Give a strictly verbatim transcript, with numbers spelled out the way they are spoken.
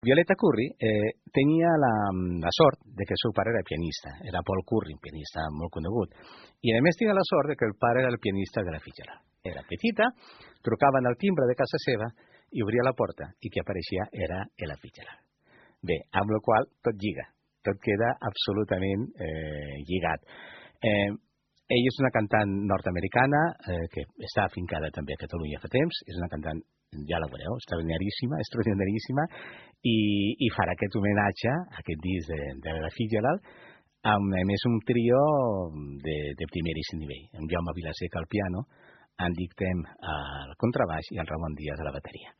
Violeta Curri eh, tenia la, la sort de que el seu pare era pianista, era Paul Curri, un pianista molt conegut, i a més tenia la sort de que el pare era el pianista de la Fitzgerald. Era petita, trucaven al timbre de casa seva i obria la porta i qui apareixia era Ella Fitzgerald. Bé, amb la qual tot lliga, tot queda absolutament eh, lligat. Eh, ella és una cantant nord-americana eh, que està afincada també a Catalunya fa temps, és una cantant, ja la veureu, extraordinaríssima, extraordinaríssima, i, i farà aquest homenatge, aquest disc de, de la Fitzgerald, amb a més un trio de, de primeríssim nivell, amb Jaume Vilaseca al piano, en Dic Tem al contrabaix i en Ramon Díaz a la bateria.